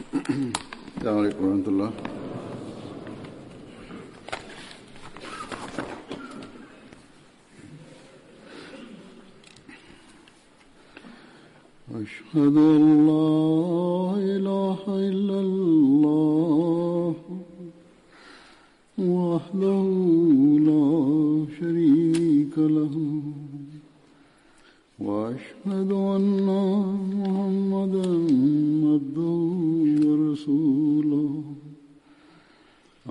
السلام عليڪم ورحمة الله. اشهد ان لا اله الا الله وحده لا شريك له واشهد ان محمدا عبده ورسوله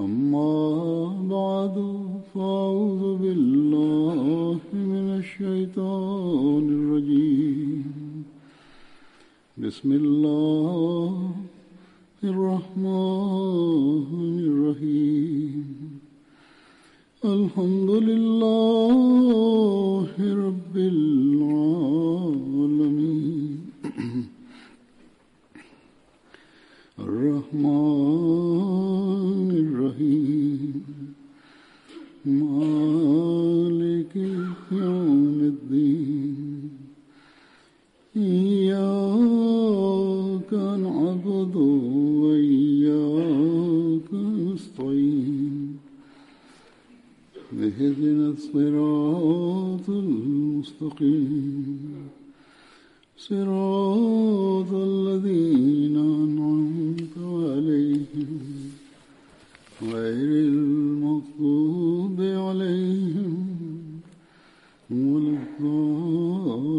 اما بعد فاعوذ بالله من الشيطان الرجيم بسم الله الرحمن الرحيم الحمد لله رب العالمين الرحمن الرحيم مالك يوم الدين إياك نعبد وإياك نستعين اهدنا الصراط المستقيم صراط الذين أنعمت عليهم غير المغضوب عليهم ولا الضالين.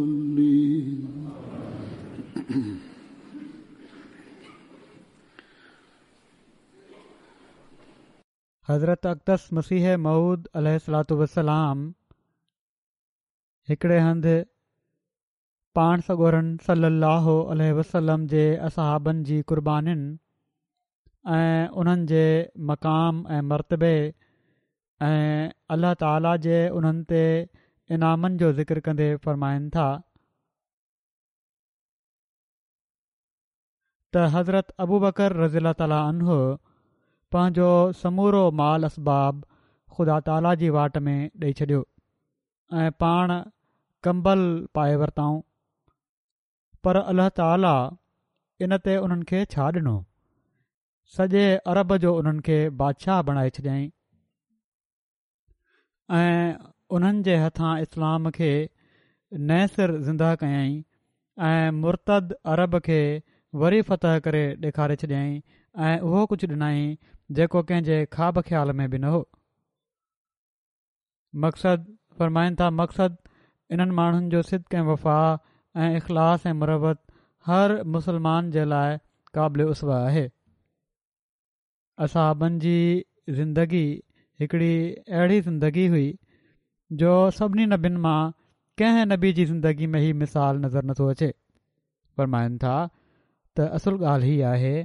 حضرت اقدس مسيح موعود عليه الصلوة والسلام هڪڙي هنڌ پاڻ سڳورن صلّي اللّٰه عليه وسلّم جي اصحابن جي قربانين ۽ انهن جي مقام ۽ مرتبي ۽ الله تعاليٰ جي انهن تي انعامن جو ذڪر ڪندي فرمائن ٿا ته حضرت ابوبڪر رضي الله تعاليٰ عنه پنهنجو سمورو مال اسباب خدا تعاليٰ جي واٽ ۾ ڏئي ڇڏيو ۽ پاڻ ڪمبل پائي ورتائون پر الله تعاليٰ ان تي انهن کي ڇا ڏنو؟ سڄي عرب جو انهن کي بادشاهه بڻائي ڇڏيائين ۽ انهن جي هٿان اسلام کي نئين سر زنده ڪيائين ۽ مرتد عرب کي وري فتح ڪري ڏيکاري ڇڏيائين ۽ اهو ڪجهه ڏنائين جيڪو ڪنهن جي خواب خيال ۾ به نه هو. مقصد، فرمائن ٿا، مقصد انهن ماڻهن جو صدق ۽ وفا ۽ اخلاص ۽ مروت هر مسلمان جي لاء قابل اسوه آهي. اصحابن جي زندگي هڪڙي اهڙي زندگي هئي جو سڀني نبين مان ڪنهن نبي جي زندگي ۾ هي مثال نظر نٿو اچي. فرمائن ٿا ته اصل ڳالهه هي آهي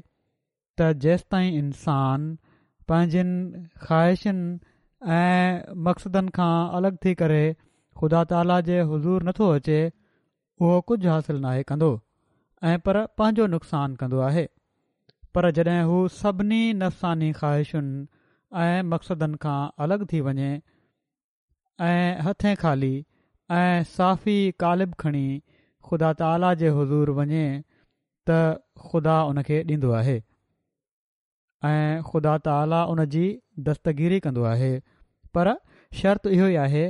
ته جيستائين انسان پنهنجين خواهشن ۽ مقصدن کان الڳ ٿي ڪري خدا تعاليٰ جي حضور نٿو اچي اهو ڪجهه حاصل ناهي ڪندو ۽ پر پنهنجو نقصان ڪندو آهي پر جڏهن هو سڀني نفساني خواهشن ۽ مقصدن کان الڳ ٿي وڃي ۽ هٿين خالي ۽ صافي قالب کڻي خدا تعاليٰ جي حضور وڃي ته خدا ان کي ڏيندو آهي ۽ خدا تعاليٰ ان جي دستگيري ڪندو آهي پر شرط اهو ئي آهي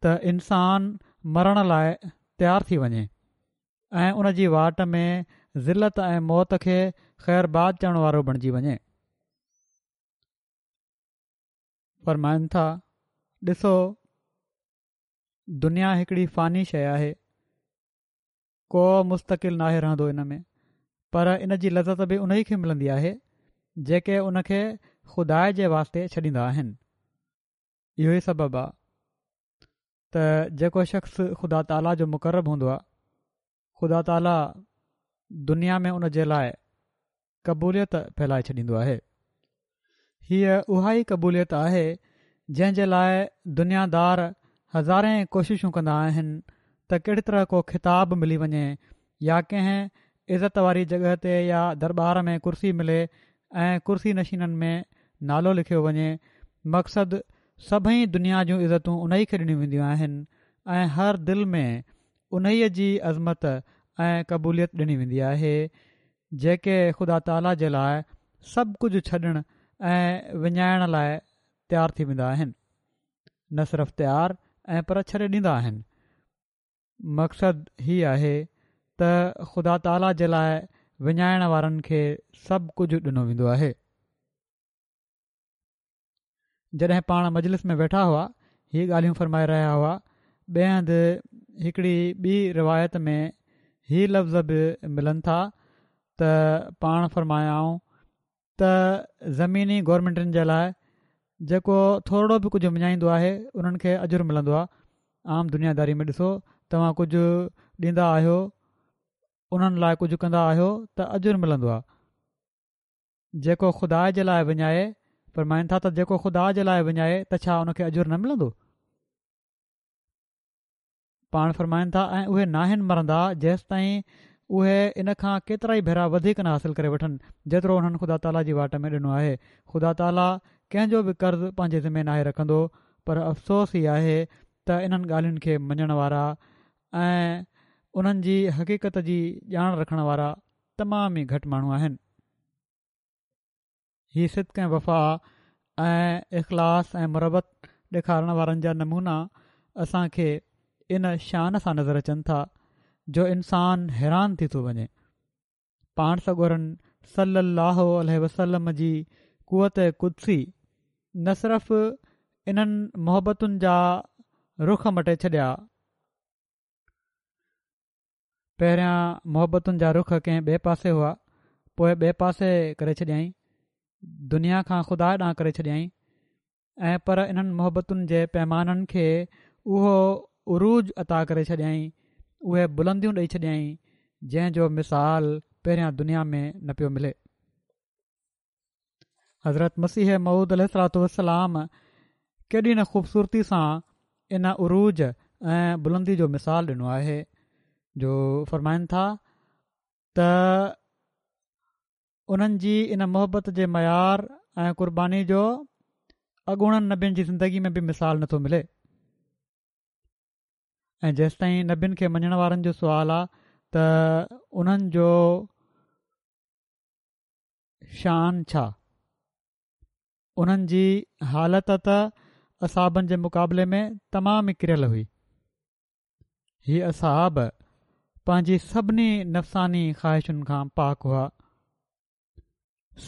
ته انسان مرڻ لاء تيار ٿي وڃي ۽ ان جي واٽ ۾ ذلت ۽ موت کي خيرباد چوڻ وارو بڻجي وڃي. فرمائن ٿا، ڏسو دنيا هڪڙي فاني شيء آهي، ڪو مستقل ناهي رهندو ان ۾، پر ان جي لذت به انهي کي ملندي آهي، جيڪي ان کي خدا جي واسطي ڇڏيندا آهن. اهو ئي سبب آ ته جيڪو شخص خدا تعاليٰ جو مقرب هوندو آ، خدا تعاليٰ دنيا ۾ ان جي لاء قبوليت ڦهلائي ڇڏيندو آهي. هيء اها ئي قبوليت آهي جنهن جي لاء دنيا دار هزارين ڪوششون ڪندا آهن ته ڪهڙي طرح ڪو خطاب ملي وڃي يا ڪنهن عزت واري جڳهه تي يا درٻار ۾ ڪرسي ملي ۽ ڪرسي نشينن ۾ نالو لکيو وڃي مقصد سڀئي دنيا جون عزتون انهي کي ڏنيون وينديون آهن ۽ هر دل ۾ انهيء جي عظمت ۽ قبوليت ڏني ويندي آهي. جيڪي خدا تعاليٰ جي لاء سڀ ڪجهه ڇڏڻ ۽ وڃائڻ لاء تيار ٿي ويندا آهن. نه صرف تيار ۽ پر ڇڏي ڏيندا آهن. مقصد هي آهي ته خدا تعاليٰ جي لاء وڃائڻ وارن کي سڀ ڪجهه ڏنو ويندو آهي. جڏهن پاڻ مجلس ۾ ويٺا هئا هي ڳالهيون فرمائي رهيا هئا ٻئي هنڌ هڪڙي ٻي روايت ۾ هي لفظ به ملن ٿا ته پاڻ فرمايائون ته زميني گورنمينٽن جي لاء جيڪو ٿورڙو به ڪجهه وڃائيندو آهي انهن کي اجر ملندو آهي عام دنيا داري ۾ ڏسو توهان ڪجهه ڏيندا آهيو انهن لاء ڪجهه ڪندا آهيو ته اجر ملندو آهي جيڪو خدا جي لاء وڃائي، فرمائن ٿا ته جيڪو خدا جي لاء وڃائي ته ڇا ان کي اجر نه ملندو؟ پاڻ فرمائن ٿا ۽ اهي ناهن مرندا جيستائين اهي ان کان ڪيترائي ڀيرا وڌيڪ نه حاصل ڪري وٺن جيترو انهن خدا تعاليٰ جي واٽ ۾ ڏنو آهي. خدا تعاليٰ ڪنهن جو به قرض پنهنجي ذمي ناهي رکندو پر افسوس هي آهي ته انهن ڳالهين کي مڃڻ وارا ۽ انهن جي حقيقت جي ڄاڻ رکڻ وارا تمام ئي گهٽ ماڻهو آهن. هي صدق ۽ وفا ۽ اخلاص ۽ مروت ڏيکارڻ وارن جا نمونا اسان کي ان شان سان نظر اچن ٿا جو انسان حيران ٿي ٿو وڃي. پاڻ سڳورن صلّي اللّٰه عليه وسلّم جي قوت قدسي نه صرف انهن محبتن جا رخ مٽي ڇڏيا، پهريان محبتن جا رخ ڪنهن ٻئي پاسي هئا، پوء ٻئي پاسي ڪري ڇڏيائين، دنيا کان خدا ڏانهن ڪري ڇڏيائين ۽ پر انهن محبتن جي پيمانن کي اهو عروج عطا ڪري ڇڏيائين، اهي بلنديون ڏئي ڇڏيائين، جنهن جو مثال پهريان دنيا ۾ نه پيو ملي. حضرت مسيح موعود عليه الصلوة والسلام ڪيڏي نه خوبصورتي سان ان عروج ۽ بلندي جو مثال ڏنو آهي جو فرمائن ٿا ته انهن جي ان محبت جي معيار ۽ قرباني جو اڳوڻن نبين جي زندگي ۾ به مثال نٿو ملي ۽ جيستائين نبين کي مڃڻ وارن جو سوال آ ته انهن جو شان ڇا؟ انهن جي حالت ته اصحابن جي مقابلي ۾ تمام ئي ڪريل هئي. هي اصحاب پنهنجي سڀني نفساني خواهشن کان پاڪ هئا.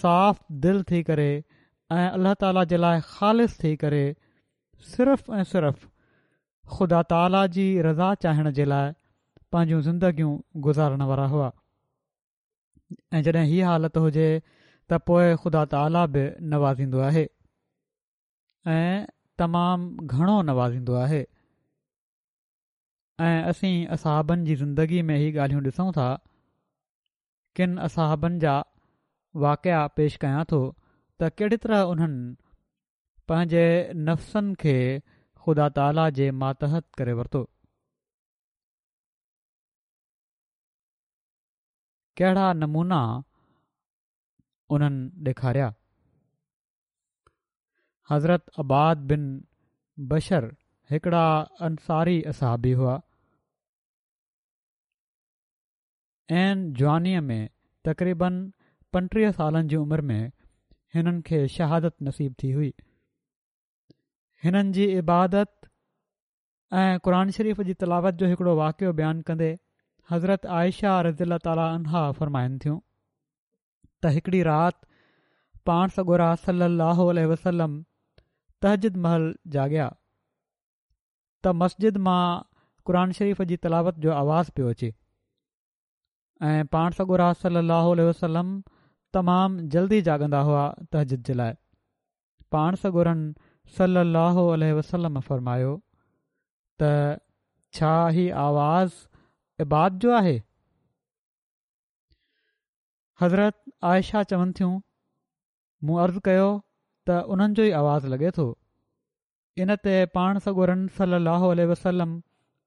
صاف دل ٿي ڪري ۽ الله تعاليٰ جي لاء خالص ٿي ڪري صرف ۽ صرف خدا تعاليٰ جي رضا چاهڻ جي لاء پنهنجون زندگيون گذارڻ وارا هئا. ۽ جڏهن هي حالت هجي ته پوء خدا تعاليٰ به نوازيندو آهي ۽ تمام گهڻو نوازيندو آهي ۽ اسين اصحابن جي زندگي ۾ هي ڳالهيون ڏسون ٿا ڪن اصحابن جا واقعا پيش ڪيان ٿو ته ڪهڙي طرح انهن پنهنجي نفسن کي خدا تعاليٰ جي ماتحت ڪري ورتو. ڪهڙا نمونا انهن ڏيکاريا. حضرت عباد بن بشر هڪڙا انصاري اصحابي هئا. عين جوانيء ۾ تقريباً 35 سالن جي عمر ۾ هنن کي شهادت نصيب ٿي هئي. هنن جي عبادت ۽ قرآن شريف جي تلاوت جو هڪڙو واقعو بيان ڪندي حضرت عائشه رضي الله تعالٰي عنها فرمائن ٿيون ته هڪڙي رات پاڻ سڳورا صلي الله عليه وسلم تهجد مهل جاڳيا ته مسجد مان قرآن شريف جي تلاوت جو آواز پيو اچي ۽ پاڻ سڳورا صلّي اللّٰه عليه وسلّم تمام جلدي جاڳندا هئا تهجد جي لاء پاڻ سڳورن صلّي اللّٰه عليه وسلّم فرمايو ته ڇا هي آواز عباد جو آهي؟ حضرت عائشه چون ٿيون مون عرض ڪيو ته انهن جو ئي آواز لڳي ٿو. ان تي پاڻ سڳورن صلّي اللّٰه عليه وسلّم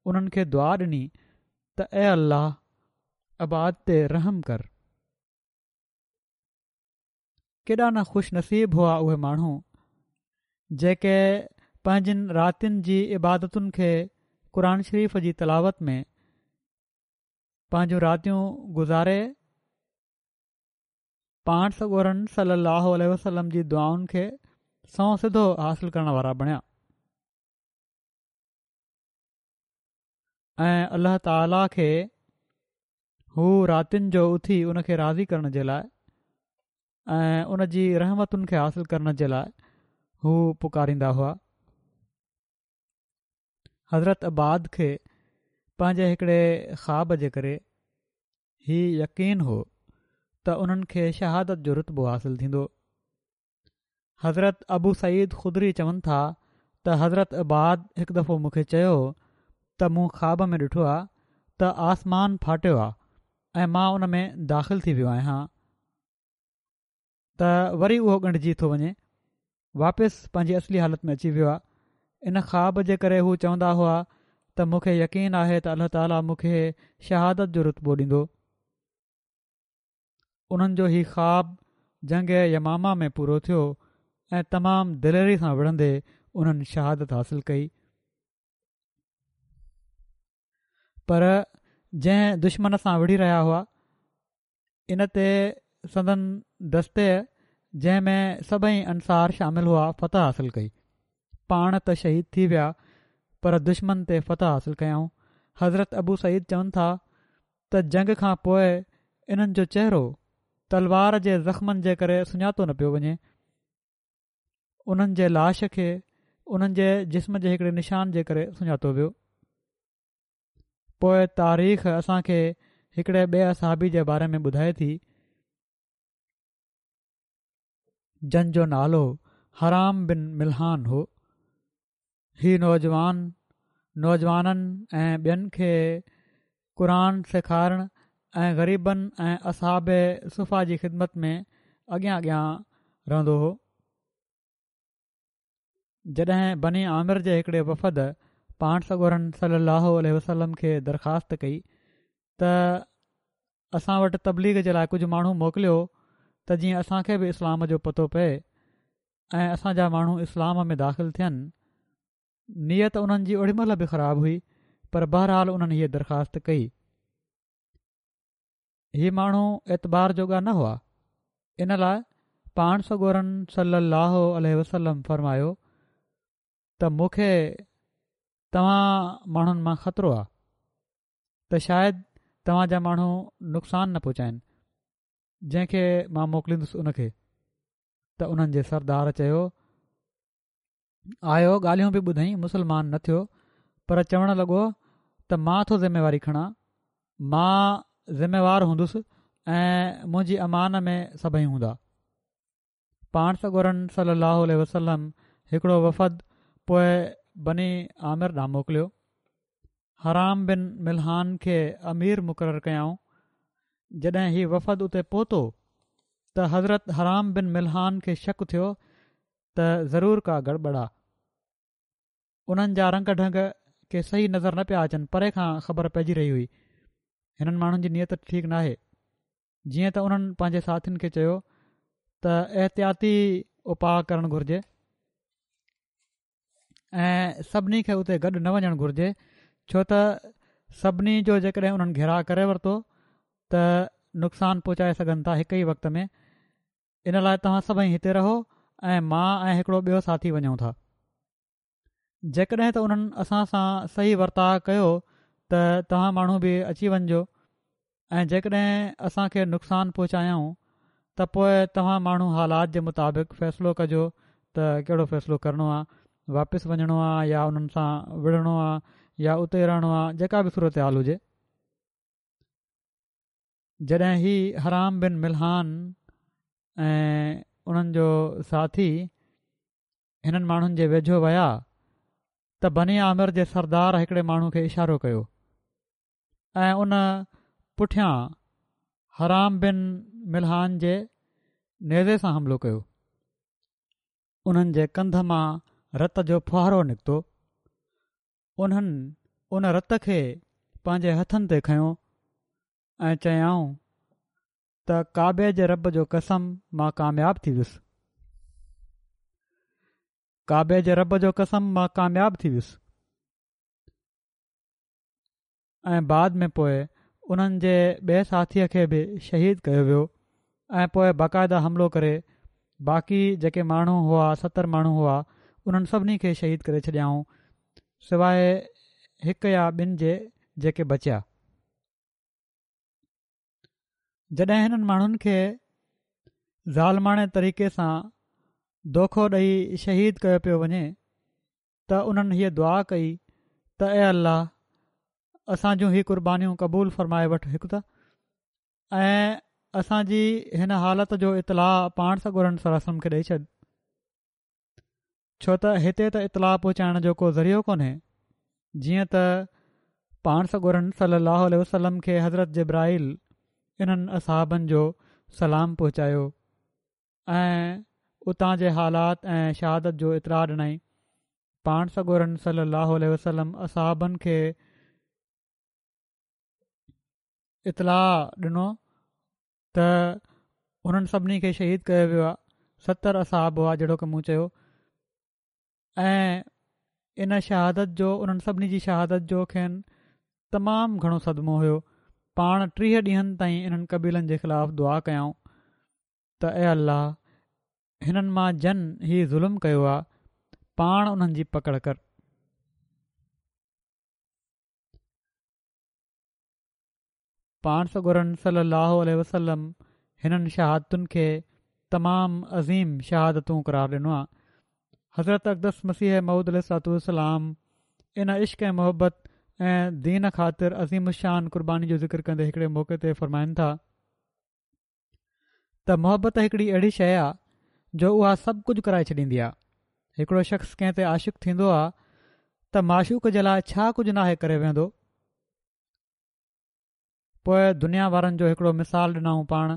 انهن کي دعا ڏني ته اي الله! عباد تي رحم ڪر. ڪيڏا نه خوش نصيب هئا اهي ماڻهو جيڪي پنهنجين راتين جي عبادتن کي قرآن شريف جي تلاوت ۾ پنهنجون راتيون گذاري. پاڻ سڳورن صلي الله عليه وسلم جي دعائن کي سنئون سڌو حاصل ڪرڻ وارا بڻيا ۽ الله تعاليٰ کي هو راتين جو اٿي ان کي راضي ڪرڻ جي لاء ۽ ان جي رحمتن کي حاصل ڪرڻ جي لاء هو پڪاريندا هئا. حضرت عباد کي پنهنجي هڪڙي خواب جي ڪري هي يقين هو ته انهن کي شهادت جو رتبو حاصل ٿيندو. حضرت ابو سعيد خدري چون ٿا ته حضرت عباد هڪ دفعو مون کي چيو ته مون خواب ۾ ڏٺو آ ته آسمان ڦاٽيو آ ۽ مان ان ۾ داخل ٿي ويو آهيان ته وري اهو ڳنڍجي ٿو وڃي واپس پنهنجي اصلي حالت ۾ اچي ويو آ ان خواب جي ڪري هو چوندا هئا ته مون کي يقين آهي ته الله تعاليٰ مون کي شهادت جو رتبو ڏيندو. انهن جو هي خواب جنگ يمامه ۾ پورو ٿيو ۽ تمام دليري سان وڙهندي انهن شهادت حاصل ڪئي. پر جنهن دشمن سان وڙهي رهيا هئا ان تي سندن دستي جنهن ۾ سڀئي انصار شامل هئا فتح حاصل ڪئي. پاڻ ته شهيد ٿي ويا پر دشمن تي فتح حاصل ڪيائون. حضرت ابو سعيد چون ٿا ته جنگ کان پوء انهن جو چهرو تلوار جي زخمن جي ڪري سڃاتو نه پيو وڃي. انهن جي لاش کي انهن جي جسم جي هڪڙي نشان جي ڪري سڃاتو ويو. پوء تاريخ اسان کي هڪڙي ٻئي اصحابي جي باري ۾ ٻڌائي ٿي جن جو نالو حرام بن ملحان هو. هي نوجوان نوجوانن ۽ ٻين کي قرآن سيکارڻ ۽ غريبن ۽ اصحاب صفه جي خدمت ۾ اڳيان اڳيان رهندو هو. جڏهن بني عامر جي هڪڙي وفد پاڻ سڳورن صلي الله عليه وسلم کي درخواست ڪئي ته اسان وٽ تبليغ جي لاء ڪجهه ماڻهو موڪليو ته جيئن اسان کي به اسلام جو پتو پئي ۽ اسان جا ماڻهو اسلام ۾ داخل ٿين. نيت انهن جي اوڏي مهل به خراب هئي پر بهرحال انهن هيء درخواست ڪئي. هي ماڻهو اعتبار جوڳا نه هئا. ان لاء پاڻ سڳورن صلي الله عليه وسلم فرمايو ته مون کي توهان ماڻهن مان خطرو آ ته شايد توهان جا ماڻهو نقصان نه پهچائن جنهن کي مان موڪليندس ان کي. ته انهن جي سردار چيو، آيو ڳالهيون به ٻڌائين مسلمان نه ٿيو پر چوڻ لڳو ته مان ٿو ذميواري کڻان، مان ذميوار هوندس ۽ منهنجي امان ۾ سڀئي هوندا. پاڻ سڳورن صلي الله عليه وسلم هڪڙو وفد پوء بني عامر ڏانهن موڪليو. حرام بن ملحان کي امير مقرر ڪيائون. جڏهن هي وفد اتي پهتو ته حضرت حرام بن ملحان کي شڪ ٿيو ته ضرور ڪا گڙٻڙ آ. انهن جا رنگ ڍنگ ڪي صحيح نظر نه پيا اچن پري کان خبر پئجي رهي هئي هنن ماڻهن جي نيت ٺيڪ ناهي. جيئن ته انهن پنهنجي ساٿين کي چيو ته احتياطي اپاء ڪرڻ گهرجي ۽ سڀني کي اتي گڏ نه وڃڻ گهرجي ڇو ته سڀني جو جيڪڏهن انهن گهيراء ڪري ورتو ته نقصان پهچائي سگهن ٿا هڪ ئي وقت ۾ ان لاء توهان سڀئي هتي رهو ۽ مان ۽ هڪڙو ٻيو ساٿي وڃون ٿا جيڪڏهن ته انهن اسان سان صحيح ورتاء ڪيو ته توهان ماڻهو به اچي وڃجو ۽ جيڪڏهن اسان کي نقصان پهچايائون ته پوء توهان ماڻهو حالات جي مطابق فيصلو ڪجو ته ڪهڙو فيصلو ڪرڻو آهي واپس وڃڻو آهي يا انهن سان وڙهڻو آهي يا اتي رهڻو آهي جيڪا به صورتحال هجي. جڏهن هي حرام بن ملحان ۽ انهن جو ساٿي هنن ماڻهن جي ويجهو ويا ته بني عامر جي سردار هڪڙي ماڻهو کي اشارو ڪيو ۽ ان پٺيان حرام بن ملحان جي نيزي سان حملو ڪيو. انهن جي ڪنڌ مان رت جو ڦوهارو نڪتو. انهن ان رت کي پنهنجي هٿن تي کنيو ۽ چيائون ته ڪعبي جي رب جو قسم مان ڪامياب ٿي ويس. ڪعبي جي رب جو قسم مان ڪامياب ٿي ويس. ۽ بعد ۾ پوء انهن جي ٻئي ساٿيء کي به شهيد ڪيو ويو. ۽ پوء باقاعده حملو ڪري باقي جيڪي ماڻهو هئا 70 ماڻهو هئا انهن سڀني کي شهيد ڪري ڇڏيائون سواء هڪ يا ٻن جي جيڪي بچيا. جڏهن هنن ماڻهن کي ظالماڻي طريقي سان دوکو ڏئي شهيد ڪيو پيو وڃي ته انهن هيء دعا ڪئي ته اي الله اسان جون هي قربانيون قبول فرمائي وٺ هڪ ته ۽ اسان جي هن حالت جو اطلاع پاڻ سڳورن صلي الله عليه وسلم کي ڏئي ڇڏ ڇو ته هتي ته اطلاع پهچائڻ جو ڪو ذريعو ڪونهي جيئن ته پاڻ سڳورن صلي الله عليه وسلم کي حضرت جبرائيل انهن اصحابن جو سلام پهچايو ۽ اتان جي حالات ۽ شهادت جو اطلاع ڏنائين پاڻ سڳورن صلي الله عليه وسلم اصحابن کي اطلاع ڏنو ته انهن سڀني کي شهيد ڪيو ويو آهي 70 اصحاب هئا جهڙوڪ مون چيو ۽ ان شهادت جو انهن سڀني جي شهادت جو کين تمام گهڻو صدمو هيو پاڻ 30 ڏينهن تائين انهن قبيلن جي خلاف دعا ڪيائون ته اي الله هنن مان جن هي ظلم ڪيو آهي پاڻ انهن جي پڪڙ ڪر. پاڻ سڳورن صلّي اللّٰه عليه وسلّم هنن شهادتن کي تمام عظيم شهادتون قرار ڏنو آهي. حضرت اقدس مسيح موعود عليه الصلوة والسلام ان عشق ۽ محبت ۽ دين خاطر عظيم الشان قرباني جو ذڪر ڪندي هڪڙي موقعي تي فرمائن ٿا ته محبت هڪڙي اهڙي شيء آهي جو اها سڀ ڪجهه ڪرائي ڇڏيندي آهي. هڪڙو شخص ڪنهن تي عاشق ٿيندو آهي ته معشوق جي لاء ڇا ڪجهه ناهي ڪري ويهندو. پوء دنيا وارن جو هڪڙو مثال ڏنائون پاڻ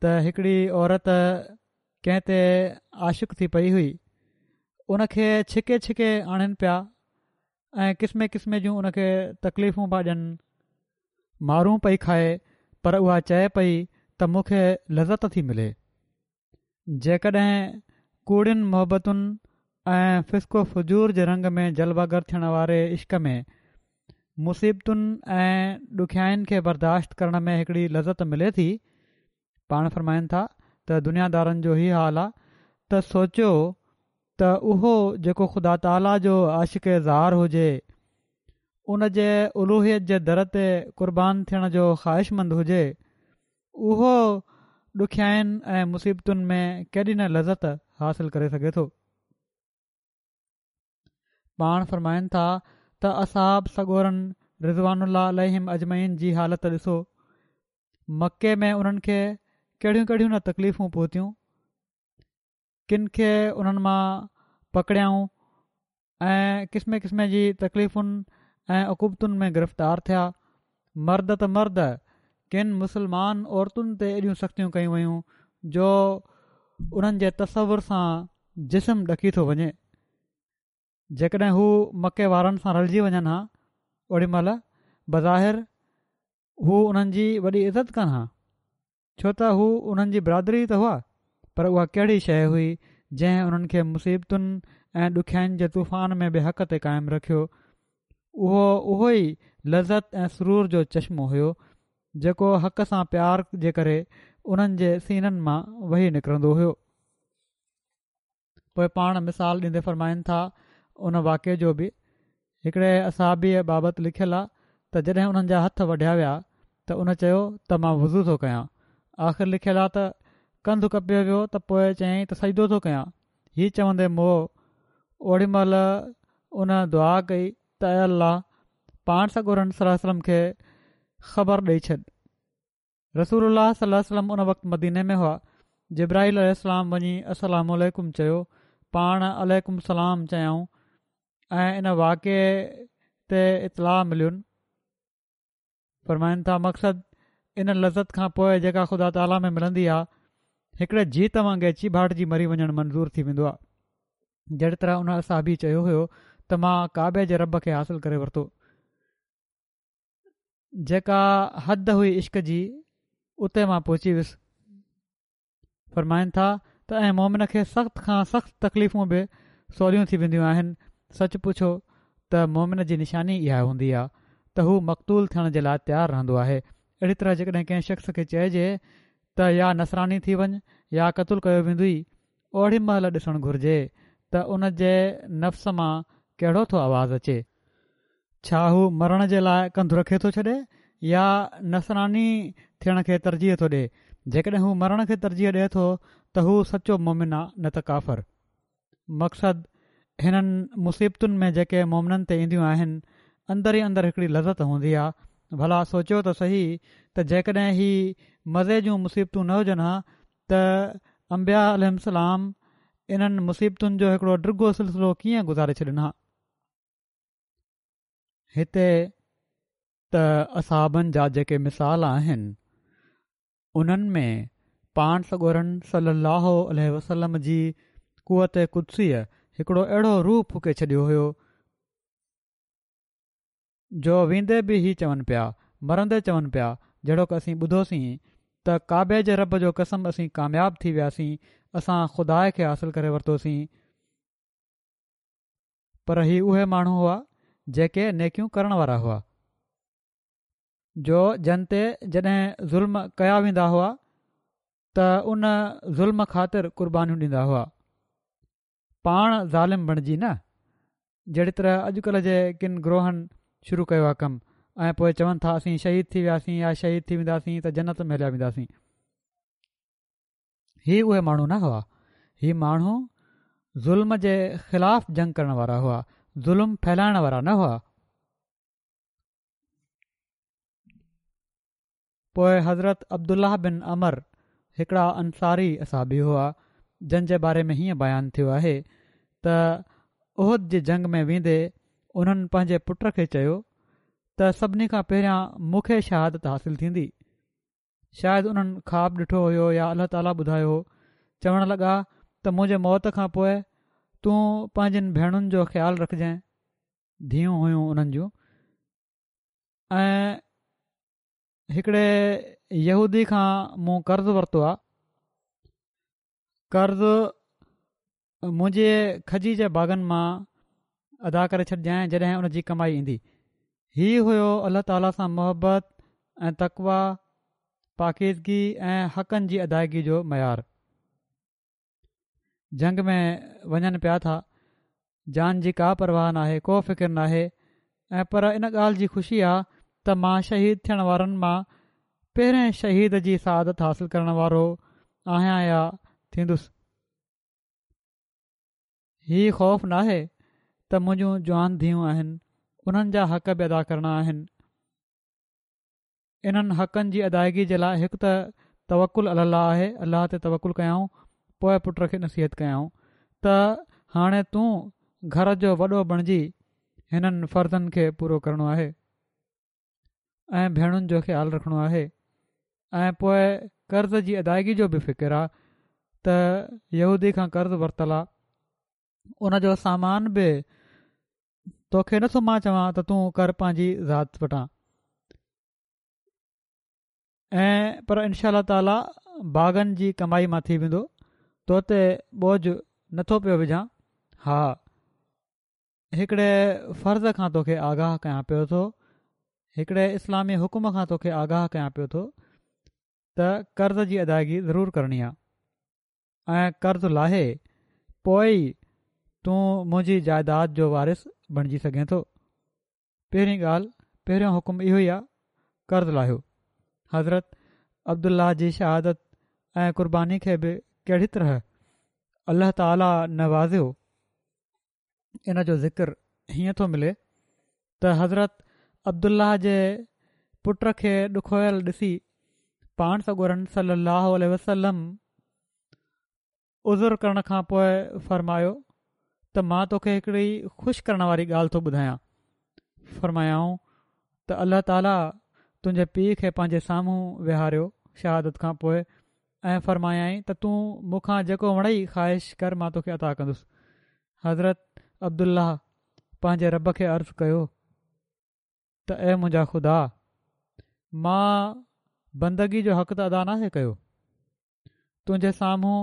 ته هڪڙي عورت ڪنهن تي عاشق ٿي پئي هئي ان کي ڇڪي ڇڪي آڻين پيا ۽ قسمي قسمي جون ان کي تڪليفون پيا ڏين مارون پئي کائي پر اها چئي پئي ته مون کي لذت ٿي ملي جيڪڏهن ڪوڙين محبتن ۽ فسق و فجور جي رنگ ۾ جلوه گر ٿيڻ واري عشق ۾ مصيبتن ۽ ڏکيائين کي برداشت ڪرڻ ۾ هڪڙي لذت ملي ٿي، پاڻ فرمائن ٿا ته دنيا دارن جو هي حال آ ته سوچيو ته اهو جيڪو خدا تعاليٰ جو عاشق زار هجي، ان جي الوهيت جي در تي قربان ٿيڻ جو خواهشمند هجي، اهو ڏکيائين ۽ مصيبتن ۾ ڪيڏي نه لذت حاصل ڪري سگهي ٿو. پاڻ فرمائن ٿا ته اصحاب سڳورن رضوان الله عليهم اجمعين جي حالت ڏسو، مڪي ۾ انهن کي ڪهڙيون ڪهڙيون نه تڪليفون پهتيون، ڪن کي انهن مان پڪڙيائون ۽ قسمي قسمي جي تڪليفن ۽ عقوبتن ۾ گرفتار ٿيا. مرد ته مرد ڪن مسلمان عورتن تي ايڏيون سختيون ڪيون ويون جو انهن جي تصور سان جسم ڏڪي ٿو وڃي. جيڪڏهن هو مڪي وارن سان رلجي وڃن ها اوڏي مهل بظاهر هو انهن جي وڏي عزت ڪن ها. ڇو ته هو انهن جي برادري ته هئا، پر اها ڪهڙي شيء هئي جنهن انهن کي مصيبتن ۽ ڏکيائين جي طوفان ۾ به حق تي قائم رکيو. اهو اهو ئي لذت ۽ سرور جو چشمو هيو، جيڪو حق سان پيار جي ڪري انهن جي سينن مان وهي نڪرندو هيو. پوء پاڻ مثال ڏيندي فرمائن ٿا ان واقعي جو به هڪڙي اصحابيء بابت لکيل آ ته جڏهن انهن جا هٿ وڍيا ويا ته ان چيو ته مان وضو ٿو ڪيان آخر لکيل آ ته ڪنڌ ڪپيو ويو ته پوء چيائين ته سجدو ٿو ڪيان هي چوندي مئو اوڏي مهل ان دعا ڪئي ته اي الله پاڻ سڳورن صلي الله عليه وسلم کي خبر ڏئي ڇڏ. رسول الله صلي الله عليه وسلم ان وقت مديني ۾ هئا. جبرائيل عليه السلام وڃي السلام عليڪم چيو، پاڻ عليڪم السلام چيائون ۽ ان واقعي تي اطلاع ملين. فرمائن ٿا مقصد ان لذت کان پوء جيڪا خدا تعاليٰ ۾ ملندي آ، هڪڙي جيت وانگي چيڀاٽجي مري وڃڻ منظور ٿي ويندو آ. جهڙي طرح ان اصحابي چيو هيو ته مان ڪعبي جي رب کي حاصل ڪري ورتو. جيڪا حد هئي عشق جي اتي مان پهچي ويس. فرمائن ٿا ته ۽ مومن کي سخت کان سخت تڪليفون به سوليون ٿي وينديون آهن سچ پڇو ته مومن جي نشاني اها هوندي آهي ته هو مقتول ٿيڻ جي لاء تيار رهندو آهي اهڙي طرح جيڪڏهن ڪنهن شخص کي چئجي ته يا نصراني ٿي وڃ يا قتل ڪيو ويندوئي، اوڙي مهل ڏسڻ گهرجي ته ان جي نفس مان ڪهڙو ٿو آواز اچي. ڇا هو مرڻ جي لاء ڪنڌ رکي ٿو ڇڏي يا نصراني ٿيڻ کي ترجيح ٿو ڏئي؟ جيڪڏهن هو مرڻ کي ترجيح ڏئي ٿو ته هو سچو مومن آ نه ته ڪافر. مقصد هنن مصيبتن ۾ جيڪي مومنن تي اينديون آهن اندر ئي اندر هڪڙي لذت هوندي آ. ڀلا سوچيو ته سهي ته جيڪڏهن هي مزي جون مصيبتون نه هجن ها ته انبياء عليهم السلام انهن مصيبتن جو هڪڙو ڊگهو سلسلو ڪيئن گذاري ڇڏن ها؟ هتي ته اصحابن جا جيڪي مثال آهن انهن ۾ پاڻ سڳورن صلي الله عليه وسلم جي قوت قدسيء هڪڙو اهڙو روح ڦوڪي ڇڏيو هيو جو ويندي به هي چون پيا مرندي چون پيا جهڙوڪ اسين ٻڌوسين ته ڪعبي جي رب جو قسم اسين ڪامياب ٿي وياسين اسان خدا کي حاصل ڪري ورتوسين پر هي اهي ماڻهو هئا جيڪي نيڪيون ڪرڻ وارا هئا جو جن تي جڏهن ظلم ڪيا ويندا هئا ته ان ظلم خاطر قربانيون ڏيندا هئا پاڻ ظالم بڻجي نه جهڙي طرح اڄڪلهه جي ڪن گروهن شروع ڪيو آهي ڪم ۽ پوء چون ٿا اسين شهيد ٿي وياسين يا شهيد ٿي وينداسين ته جنت ۾ هليا وينداسين هي اهي ماڻهو نه هئا. هي ماڻهو ظلم جي خلاف جنگ ڪرڻ وارا هئا، ظلم ڦهلائڻ وارا نه هئا. پوء حضرت عبدالله بن عمرو هڪڙا انصاري اصحابي هئا، جن جي باري ۾ هيئن بيان ٿيو آهي ته احد جي جنگ ۾ ويندي انهن پنهنجي پٽ کي چيو ته سڀني کان پهريان مون کي شهادت حاصل ٿيندي. شايد انهن خواب ڏٺو هيو يا الله تعاليٰ ٻڌايو هو. چوڻ لڳا ته منهنجي موت کان پوء تون پنهنجين ڀيڻن جو خيال رکجانء، ڌيئون هيون انهن جون، ۽ هڪڙي يهودي کان مون قرض ورتو آ، قرض منهنجي کجي جي باغن مان ادا ڪري ڇڏجانء جڏهن ان جي ڪمائي ايندي. هي هيو الله تعاليٰ سان محبت ۽ تقويٰ، پاڪيزگي ۽ حقن جي ادائگي جو معيار. جنگ ۾ وڃن پيا ٿا، جان جي ڪا پرواهه ناهي، ڪو فڪر ناهي ۽ پر ان ڳالهه جي خوشي آ ته مان شهيد ٿيڻ وارن مان پهرين شهيد جي سعادت حاصل ڪرڻ وارو آهيان يا ٿيندس. هي خوف ناهي ته منهنجون جوان ڌيئون آهن انهن جا حق به ادا ڪرڻا آهن. انهن حقن جي ادائگي جي لاء هڪ ته توڪل علي الله آهي، الله تي توڪل ڪيائون، پوء پٽ کي نصيحت ڪيائون ته هاڻي تون گهر جو وڏو بڻجي هنن فرضن کي پورو ڪرڻو آهي. ۽ ڀيڻن جو خيال رکڻو آهي ۽ پوء قرض جي ادائگي جو به فڪر آ ته يهودي کان قرض ورتل آ ان جو سامان به توکي نٿو مان چوان ته تون ڪر پنهنجي ذات وٽان ۽ پر انشاء الله تعالي باغن جي ڪمائي مان ٿي ويندو تو تي بوجه نٿو پيو وجهان ها هڪڙي فرض کان توکي آگاهه ڪيان پيو ٿو، هڪڙي اسلامي حڪم کان توکي آگاهه ڪيان پيو ٿو ته قرض جي ادائگي ضرور ڪرڻي آ ۽ قرض لاهي پوء ئي تون منهنجي جائداد جو وارث بڻجي سگهين ٿو. پهرين ڳالهه، پهريون حڪم اهو ئي آ، قرض لاهيو. حضرت عبدالله جي شهادت ۽ قرباني کي به ڪهڙي طرح الله تعاليٰ نوازيو. ان جو ذڪر هيئن ٿو ملي ته حضرت عبدالله جي پٽ کي ڏکويل ڏسي پاڻ سڳورن صلي الله عليه وسلم عذر ڪرڻ کان پوء فرمايو ته مان توکي هڪڙي خوش ڪرڻ واري ڳالهه ٿو ٻڌايان فرمايائون ته الله تعاليٰ تنهنجي پيء کي پنهنجي سامهون ويهاريو شهادت کان پوء ۽ فرمايائين ته تون مون کان جيڪو وڻئي خواهش ڪر مان توکي عطا ڪندس. حضرت عبدالله پنهنجي رب کي عرض ڪيو ته اي منهنجا خدا! مان بندگي جو حق ته ادا ناهي ڪيو، تنهنجي سامهون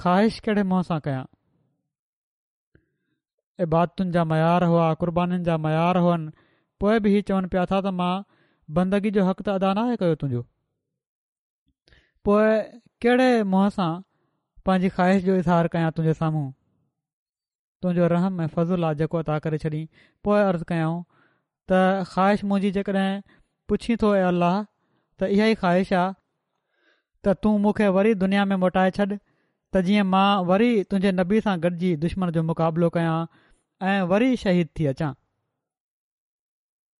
خواهش ڪهڙي منهن سان ڪيان؟ عبادتن جا معيار هئا، قربانين جا معيار هئن، پوء به هي چون پيا ٿا ته مان بندگي جو حق ته ادا ناهي ڪيو تنهنجو. پوء ڪهڙي منهن سان پنهنجي خواهش جو اظهار ڪيان تنهنجي سامهون؟ تنهنجو رحم ۽ فضل آ جيڪو عطا ڪري ڇڏين. پوء عرض ڪيائون ته خواهش منهنجي جيڪڏهن پڇين ٿو اي الله ته اها ئي خواهش آ ته تون مون کي وري دنيا ۾ موٽائي ڇڏ ته جيئن مان وري تنهنجي نبي سان گڏجي دشمن جو مقابلو ڪيان ۽ وري شهيد ٿي اچان.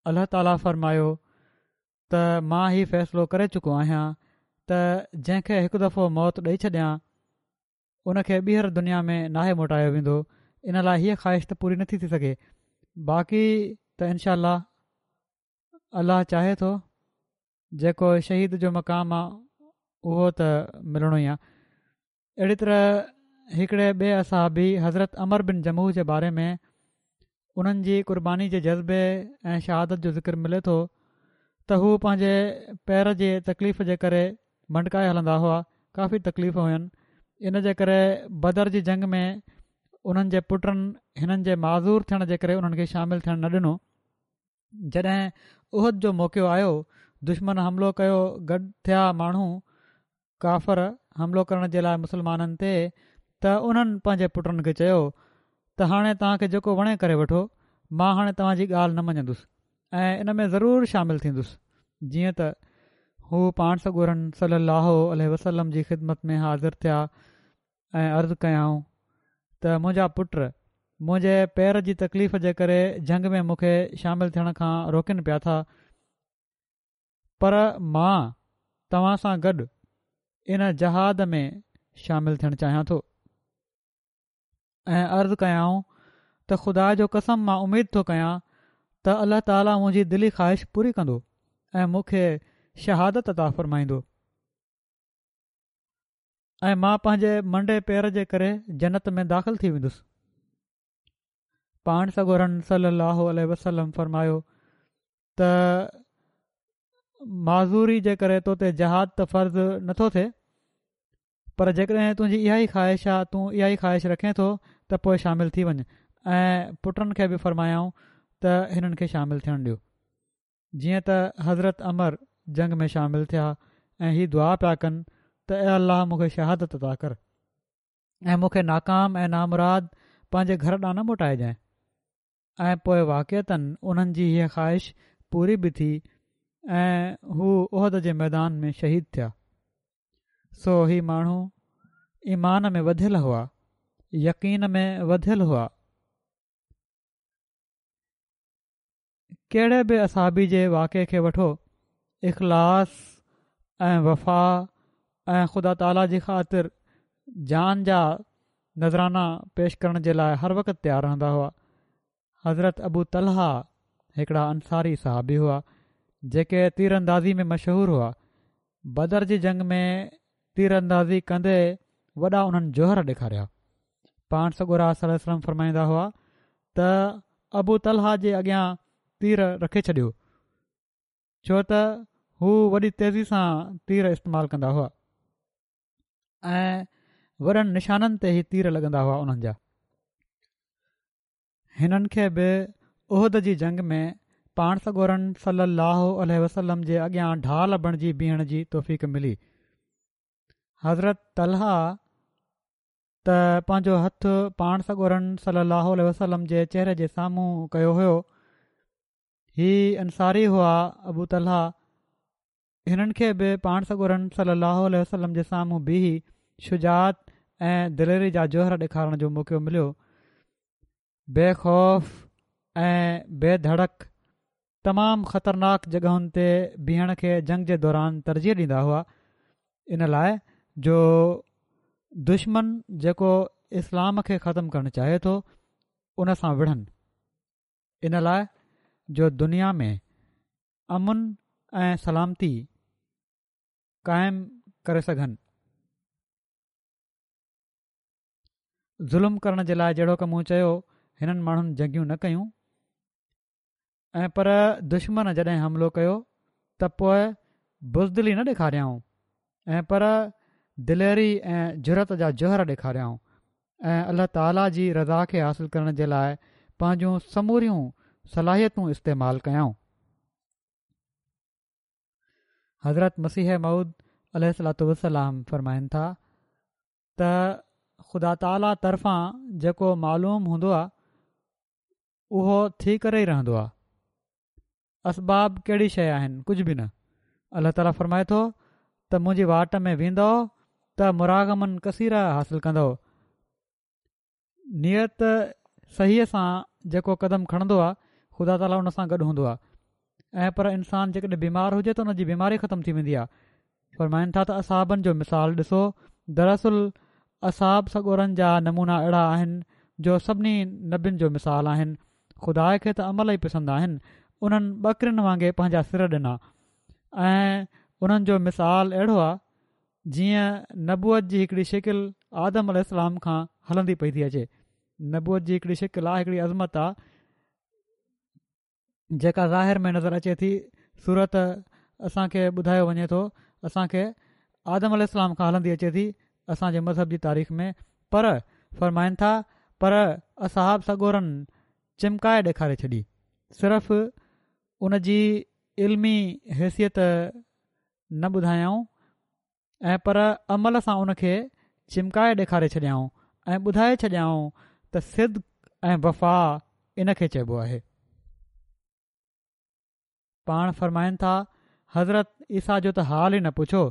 الله تعاليٰ فرمايو ته مان هي فيصلو ڪري چڪو آهيان ته جنهن کي هڪ دفعو موت ڏئي ڇڏيان ان کي ٻيهر دنيا ۾ ناهي موٽايو ويندو ان لاء هيء خواهش ته پوري نٿي ٿي سگهي باقي ته انشاء الله الله چاهي ٿو جيڪو شهيد جو مقام آ اهو ته ملڻو ئي آ اهڙي طرح هڪڙي ٻئي اصحابي حضرت عمرو بن جموح جي باري ۾ انهن جي قرباني جي جذبي ۽ شهادت جو ذڪر ملي ٿو ته هو پنهنجي پير جي تڪليف جي ڪري منڊڪائي هلندا هئا ڪافي تڪليف هين ان جي ڪري بدر جي جنگ ۾ انهن جي پٽن هنن جي معذور ٿيڻ جي ڪري انهن کي شامل ٿيڻ نه ڏنو جڏهن احد جو موقعو آيو، دشمن حملو ڪيو، گڏ ٿيا ماڻهو، ڪافر، حملو ڪرڻ جي لاء مسلمانن تي ته انهن پنهنجي پٽن کي چيو ته هاڻي توهان کي جيڪو وڻي ڪري وٺو، مان هاڻي توهان جي ڳالهه نه مڃندس ۽ ان ۾ ضرور شامل ٿيندس. جيئن ته هو پاڻ سڳورن صلّي اللّٰه عليه وسلّم جي خدمت ۾ حاضر ٿيا ۽ عرض ڪيائون ته منهنجا پٽ منهنجي پير جي تڪليف جي ڪري جنگ ۾ مون کي شامل ٿيڻ کان روڪين پيا ٿا پر مان توهان سان گڏ ان جهاد ۾ شامل ٿيڻ چاهيان ٿو ۽ عرض ڪيائون ته خدا جو قسم مان اميد ٿو ڪيان ته الله تعاليٰ منهنجي دلي خواهش پوري ڪندو ۽ مون کي شهادت عطا فرمائيندو. ۽ مان پنهنجي منڊي پير جي ڪري جنت ۾ داخل ٿي ويندس. پاڻ سڳورن صلي الله عليه وسلم فرمايو ته معذوري جي ڪري تو تي جهاد ته فرض نٿو ٿئي پر جيڪڏهن تنهنجي اها ئي خواهش آ تون اها ئي خواهش رکين ٿو ته پوء شامل ٿي وڃ ۽ پٽن کي به فرمايائون ته هنن کي شامل ٿيڻ ڏيو. جيئن ته حضرت عمرو جنگ ۾ شامل ٿيا ۽ هي دعا پيا ڪن ته اي الله مون کي شهادت عطا ڪر ۽ مون کي ناڪام ۽ نامراد پنهنجي گهر ڏانهن نه موٽائجانء ۽ پوء واقعتاً انهن جي هيء خواهش پوري به ٿي ۽ هو احد جي ميدان ۾ شهيد ٿيا. سو هي ماڻهو ايمان ۾ وڌيل هئا، يقين ۾ وڌيل هئا. ڪهڙي به اصحابي جي واقعي کي وٺو، اخلاص ۽ وفا ۽ خدا تعاليٰ جي خاطر جان جا نذرانا پيش ڪرڻ جي لاء هر وقت تيار رهندا هئا. حضرت ابو طلحه هڪڙا انصاري صحابي هئا، جيڪي تير اندازي ۾ مشهور هئا. بدر جي جنگ ۾ تير اندازي ڪندي وڏا انهن جوهر ڏيکاريا. پاڻ سڳورا صلي الله عليه وسلم فرمائيندا هئا ته ابو طلحه جي اڳيان تير رکي ڇڏيو ڇو ته هو وڏي تيزي سان تير استعمال ڪندا هئا ۽ وڏن نشانن تي هي تير لڳندا هئا انهن جا. هنن کي به احد جي جنگ ۾ پاڻ سڳورن صلي الله عليه وسلم جي اڳيان ڍال بڻجي بيهڻ جي توفيق ملي. حضرت طلحه ته پنهنجو هٿ پاڻ سڳورن صلي الله عليه وسلم جي چهري جي سامهون ڪيو هيو. هي انصاري هئا ابو طلحه هنن کي به پاڻ سڳورن صلّي اللّٰه عليه وسلّم جي سامهون بيهي شجاعت ۽ دليري جا جوهر ڏيکارڻ جو موقعو مليو. بي خوف ۽ بي ڌڙڪ تمام خطرناڪ جڳهن تي بيهڻ کي جنگ جي دوران ترجيح ڏيندا هئا ان لاء جو دشمن جيڪو اسلام کي ختم ڪرڻ چاهي ٿو ان سان وڙهن ان لاء جو دنيا ۾ امن ۽ سلامتي قائم ڪري سگهن. ظلم ڪرڻ جي لاء جهڙوڪ مون چيو هنن ماڻهن جنگيون نه ڪيون ۽ پر دشمن جڏهن حملو ڪيو ته پوء بزدلي نه ڏيکاريائون ۽ پر دليري ۽ جرئت جا جوهر ڏيکاريائون ۽ الله تعالي جي رضا کي حاصل ڪرڻ جي لاء پنهنجون سموريون صلاحيتون استعمال ڪيائون. حضرت مسيح موعود عليه الصلوة والسلام فرمائن ٿا ته خدا تعاليٰ طرفان جيڪو معلوم هوندو آهي اهو ٿي ڪري ئي رهندو آهي. اسباب ڪهڙي شيء آهن؟ ڪجهه به نه. الله تعاليٰ فرمائي ٿو ته منهنجي واٽ ۾ ويندؤ ته مراغما ڪثيرا حاصل ڪندؤ. نيت صحيح سان جيڪو قدم کڻندو آهي خدا تعاليٰ ان سان گڏ هوندو آهي ۽ پر انسان جيڪڏهن بيمار هجي ته ان جي بيماري ختم ٿي ويندي آهي. فرمائن ٿا ته اصحابن جو مثال ڏسو دراصل اصحاب سڳورن جا نمونا اهڙا آهن جو سڀني نبين جو مثال آهن خدا کي ته عمل ئي پسند آهن انهن ٻڪرين وانگي پنهنجا سر ڏنا ۽ انهن جو مثال اهڙو آهي جيئن نبوت جي هڪڙي شڪل آدم عليه السلام کان هلندي پئي ٿي اچي نبوت جي هڪڙي شڪل آهي هڪڙي عظمت آهي جيڪا ظاهر ۾ نظر اچي ٿي صورت اسان کي ٻڌايو وڃي ٿو اسان کي آدم عليه السلام کان هلندي اچي ٿي اسان جي مذهب جي تاريخ ۾ پر فرمائن ٿا پر اصحاب سڳورن چمڪائي ڏيکاري ڇڏي صرف ان جي علمي حيثيت نه ٻڌايائون ۽ پر عمل سان ان کي چمڪائي ڏيکاري ڇڏيائون ۽ ٻڌائي ڇڏيائون ته صدق ۽ وفا ان کي چئبو آهي. پاڻ فرمائن ٿا حضرت عيسيٰ جو ته حال ئي نه پڇو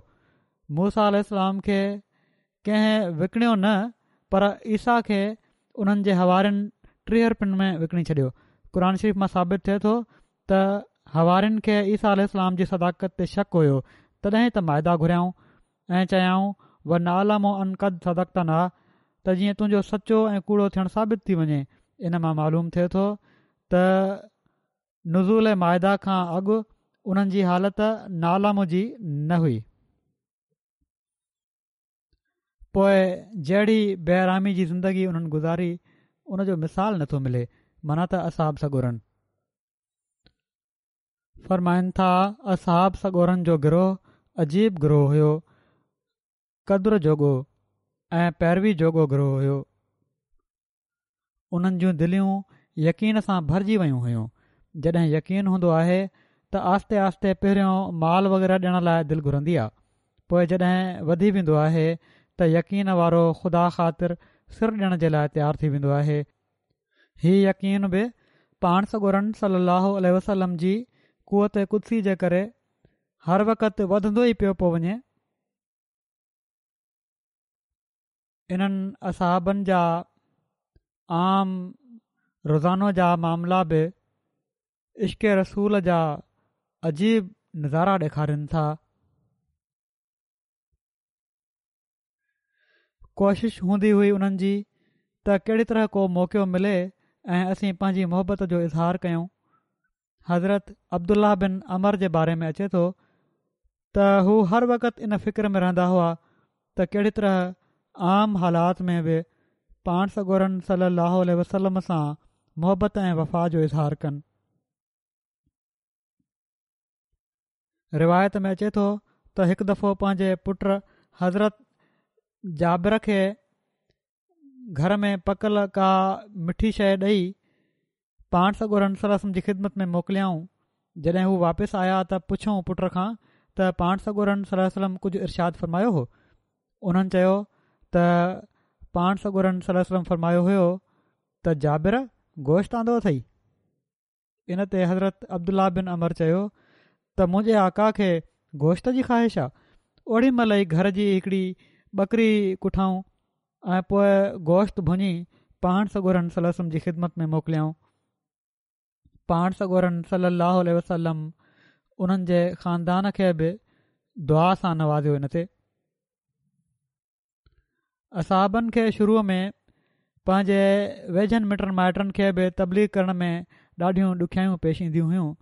موسيٰ عليه السلام کي ڪنهن وڪڻيو نه پر عيسيٰ کي انهن جي حوارين 30 رپين ۾ وڪڻي ڇڏيو. قرآن شريف مان ثابت ٿئي ٿو ته حوارين کي عيسيٰ عليه السلام جي صداقت تي شڪ هيو تڏهن ته مائده گهريائون ۽ چيائون ونعلم ان قد صدقتنا ته جيئن تنهنجو سچو ۽ ڪوڙو ٿيڻ ثابت ٿي وڃي. ان مان معلوم ٿئي ٿو ته نزول مائده کان اڳ انهن جي حالت نعلم جي نه هئي. پوء جهڙي بي آرامي جي زندگي انهن گذاري ان جو مثال نٿو ملي معنيٰ ته اصحاب سڳورن. فرمائن ٿا اصحاب سڳورن جو گروهه عجيب گروهه هيو قدر جوڳو ۽ پيروي جوڳو گروهه هيو. انهن جون دليون يقين سان ڀرجي ويون هيون. جڏهن يقين هوندو آهي ته آهستي آهستي پهريون مال وغيره ڏيڻ لاء دل گهرندي آ. پوء جڏهن وڌي ويندو آهي ته يقين وارو خدا خاطر سر ڏيڻ جي لاء تيار ٿي ويندو آهي. هي يقين به پاڻ سڳورن صلّي اللّٰه عليه وسلّم جي قوت قدسي جي ڪري هر وقت وڌندو ئي پيو پيو وڃي. انهن اصحابن جا عام روزانو جا معاملا به عشق رسول جا عجيب نظارا ڏيکارين ٿا. ڪوشش هوندي هئي انهن جي ته ڪهڙي طرح ڪو موقعو ملي ۽ اسين پنهنجي محبت جو اظهار ڪيون. حضرت عبدالله بن عمرو جي باري ۾ اچي ٿو ته هو هر وقت ان فڪر ۾ رهندا هئا ته ڪهڙي طرح عام حالات ۾ به پاڻ سڳورن صلي الله عليه وسلم سان محبت ۽ وفا جو اظهار ڪن. روايت ۾ اچي ٿو ته هڪ دفعو پنهنجي پٽ حضرت جابر کي گهر ۾ پڪل ڪا مٺي شيء ڏئي پاڻ سڳورن صلي الله عليه وسلم جي خدمت ۾ موڪليائون جڏهن هو واپس آيا ته پڇيائون پٽ کان ته پاڻ سڳورن صلي الله عليه وسلم ڪجهه ارشاد فرمايو هو انهن چيو ته پاڻ سڳورن صلي الله عليه وسلم فرمايو هيو ته جابر گوشت آندو اٿئي ان تي حضرت عبدالله بن عمرو چيو ته منهنجي آقا کي گوشت جي خواهش آ اوڏي مهل ئي گهر جي هڪڙي ٻڪري ڪٺائون ۽ پوء گوشت ڀڃي پاڻ سڳورن صلي الله عليه وسلم جي خدمت ۾ موڪليائون پاڻ سڳورن صلي الله عليه وسلم انهن جي خاندان کي به دعا سان نوازيو ان تي اصحابن کي شروع ۾ پنهنجي ويجهن مٽن مائٽن کي به تبليغ ڪرڻ ۾ ڏاڍيون ڏکيائيون پيش اينديون هيون.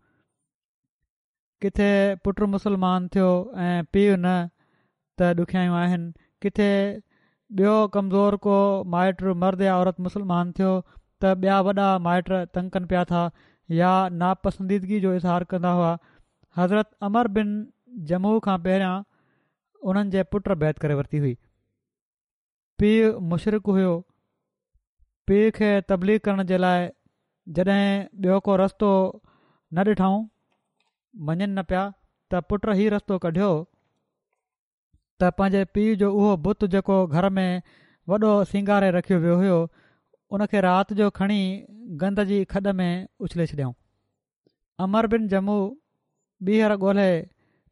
ڪٿي پٽ مسلمان ٿيو ۽ پيء نه ته ڏکيائيون آهن، ڪٿي ٻيو ڪمزور ڪو مائٽ مرد يا عورت مسلمان ٿيو ته ٻيا وڏا مائٽ تنگ ڪن پيا ٿا يا ناپسنديدگي جو اظهار ڪندا هئا. حضرت عمرو بن جموح کان پهريان انهن جي پٽ بيعت ڪري ورتي هئي. پيء مشرڪ هيو. پيء کي تبليغ ڪرڻ جي لاء جڏهن ٻيو ڪو رستو نه ڏٺائون، مڃن نه پيا ته پٽ هي رستو ڪڍيو ته پنهنجي پيء جو اهو بت جيڪو گهر ۾ وڏو سينگاري رکيو ويو هيو ان کي رات جو کڻي گند جي کڏ ۾ اڇلي ڇڏيائون. عمرو بن جموح ٻيهر ڳولهي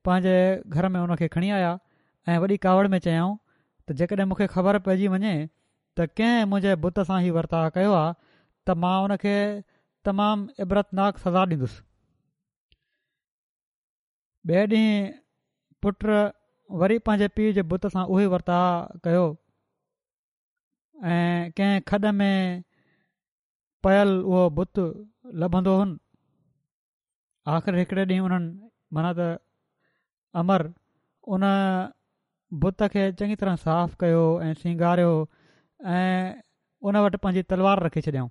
پنهنجي گهر ۾ ان کي کڻي آيا ۽ وڏي ڪاوڙ ۾ چيائون ته جيڪڏهن مون کي خبر پئجي وڃي ته ڪنهن منهنجي بت سان هي ورتاء ڪيو آهي ته مان ان کي تمام عبرتناڪ سزا ڏيندس. ٻئي ڏينهن پٽ وري پنهنجي پيء جي بت سان اهو ئي ورتاء ڪيو ۽ ڪنهن کڏ ۾ پيل اهو بت لڀندو هن. آخر هڪڙي ڏينهن انهن معنيٰ ته عمرو ان بت کي چڱي طرح صاف ڪيو ۽ سينگاريو ۽ ان وٽ پنهنجي تلوار رکي ڇڏيائون.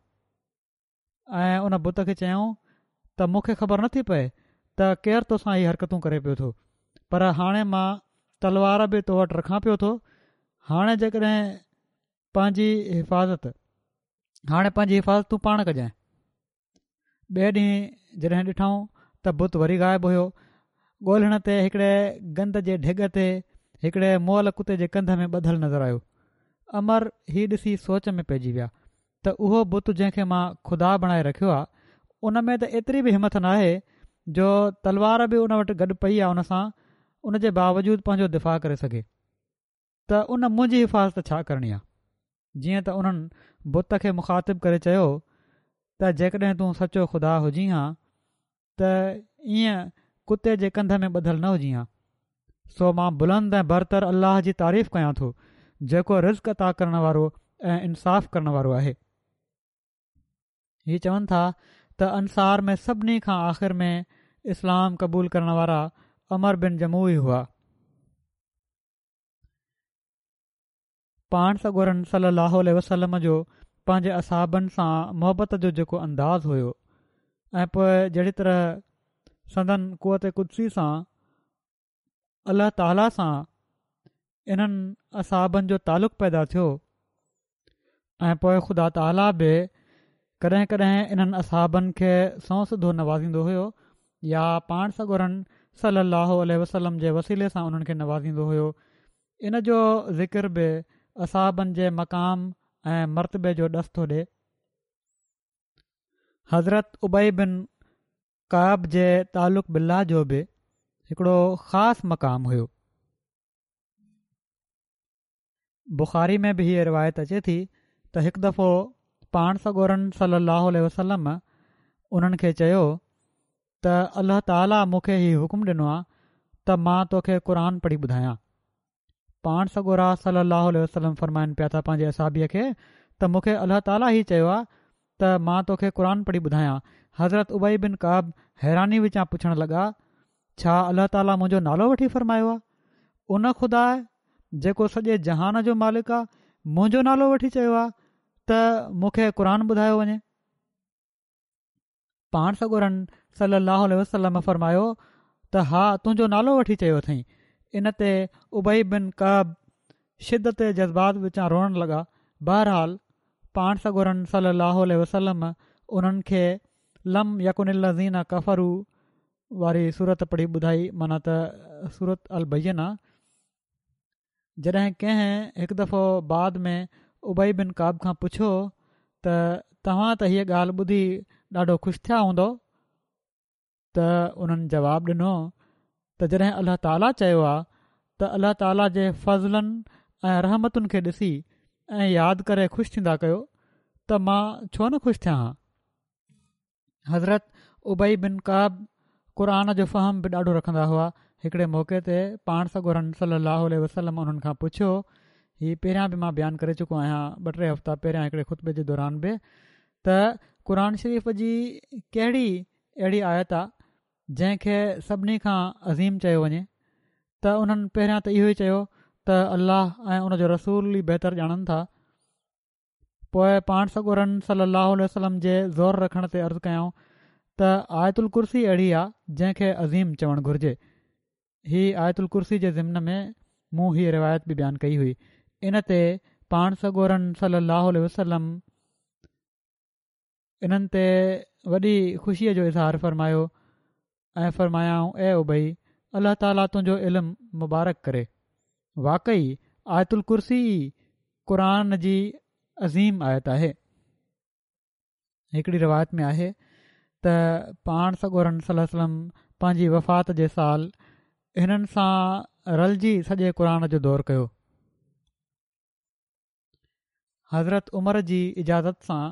۽ ان بت کي چيائون ته مون کي خبر نٿي پئي ته ڪير توسان هي حرڪتون ڪري پيو ٿو پر هاڻي مان تلوار به تو وٽ رکان پيو ٿو هاڻي جيڪڏهن پنهنجي حفاظت هاڻي پنهنجي حفاظت تون پاڻ ڪجانء ٻئي ڏينهن جڏهن ڏٺائون ته بت وري غائب هيو ڳولڻ تي هڪڙي گند جي ڍڳ تي هڪڙي مئل ڪتي جي ڪنڌ ۾ ٻڌل نظر آيو عمرو هي ڏسي سوچ ۾ پئجي ويا ته اهو بت جنهن کي مان خدا بڻائي رکيو آ ان ۾ ته ايتري به همٿ ناهي جو تلوار به ان وٽ گڏ پئي آ ان سان ان جي باوجود پنهنجو دفاع ڪري سگهي ته ان منهنجي حفاظت ڇا ڪرڻي آ جيئن ته انهن بت کي مخاطب ڪري چيو ته جيڪڏهن تون سچو خدا هجين ها ته ائين ڪتي جي ڪنڌ ۾ ٻڌل نه هجين ها. سو مان بلند ۽ برتر الله جي تعريف ڪيان ٿو، جيڪو رزق عطا ڪرڻ وارو ۽ انصاف ڪرڻ وارو آهي. هي چون ٿا ته انصار ۾ سڀني کان آخر ۾ اسلام قبول ڪرڻ وارا عمرو بن جموح ئي هئا. پاڻ سڳورن صلّي اللّٰه عليه وسلّم جو پنهنجي اصحابن سان محبت جو جيڪو انداز هيو ۽ پوء جهڙي طرح سندن قوت قدسي سان الله تعاليٰ سان انهن اصحابن جو تعلق پيدا ٿيو ۽ پوء خدا تعاليٰ به ڪڏهن ڪڏهن انهن اصحابن کي سنئون سڌو نوازيندو هيو يا پاڻ سڳورن صلّي اللّٰه عليه وسلّم جي وسيلي سان انهن کي نوازيندو هيو ان جو ذڪر به اصحابن جي مقام ۽ مرتبي جو ڏس ٿو ڏئي. حضرت ابي بن ڪعب جي تعلق بالله جو به هڪڙو خاص مقام هيو. بخاري ۾ به هيء روايت اچي ٿي ته هڪ دفعو پاڻ سڳورن صلي الله عليه وسلم انهن کي چيو ته الله تعاليٰ مون کي هي حڪم ڏنو آهي ته مان توکي قرآن پڙهي ٻڌايان. پاڻ سڳورا صلّي اللّٰه عليه وسلّم فرمائن پيا ٿا پنهنجي اصحابيء کي ته مون کي الله تعاليٰ هي چيو آهي ته مان توکي قرآن پڙهي ٻڌايان. حضرت ابي بن ڪعب حيراني وچان پڇڻ لڳا، ڇا الله تعاليٰ منهنجو نالو وٺي فرمايو آهي؟ ان خدا جيڪو سڄي جهان جو مالڪ آهي منهنجو نالو وٺي چيو آهي ته مون کي قرآن ٻڌايو وڃي؟ پاڻ سڳورن صلّي اللّٰه عليه وسلّم فرمايو ته ها تنهنجو نالو وٺي چيو اٿئين. ان تي ابي بن ڪعب شدت جذبات وچان روئڻ لڳا. بهرحال پاڻ سڳورن صلّي اللّٰه عليه وسلّم انهن کي لم يڪن الذين ڪفروا واري سورت پڙهي ٻڌائي معنيٰ ته سورت البينه. جڏهن ڪنهن هڪ دفعو بعد ۾ ابي بن ڪعب کان پڇيو ته توهان ته هيء ڳالهه ٻڌي ڏاڍو خوش ٿيا هوندؤ ته انهن جواب ڏنو ته جڏهن الله تعاليٰ چيو آ ته الله تعاليٰ جي فضلن ۽ رحمتن کي ڏسي ۽ ياد ڪري خوش ٿيندا ڪيو ته مان ڇو نه خوش ٿيان ها. حضرت ابي بن ڪعب قرآن جو فهم به ڏاڍو رکندا هئا هڪڙي موقعي تي پاڻ سڳورن صلي الله عليه وسلم انهن کان پڇيو هي پهريان به مان بيان ڪري چڪو آهيان ٻه ٽي هفتا پهريان هڪڙي خطبي جي دوران به ته قرآن شريف جي ڪهڙي اهڙي آيت آ جنهن کي سڀني کان عظيم چيو وڃي ته انهن پهريان ته اهو ئي چيو ته الله ۽ ان جو رسول ئي بهتر ڄاڻن ٿا پوء پاڻ سڳورن صلّي اللّٰه عليه وسلّم جي زور رکڻ تي عرض ڪيائون ته آيت الڪرسي اهڙي آ جنهن کي عظيم چوڻ گهرجي. هي آيت الڪرسي جي ضمن ۾ مون هيء روايت به بيان ڪئي هئي. ان تي پاڻ سڳورن صلّي اللّٰه عليه وسلّم انهن تي وڏي خوشيء جو اظهار فرمايو ۽ فرمايائون اي ابي! الله تعاليٰ تنهنجو علم مبارڪ ڪري. واقعي آيت الڪرسي ئي قرآن جي عظيم آيت آهي. هڪڙي روايت ۾ آهي ته پاڻ سڳورن صلي الله عليه وسلم پنهنجي وفات جي سال هنن سان رلجي سڄي قرآن جو دور ڪيو. حضرت عمر جي اجازت سان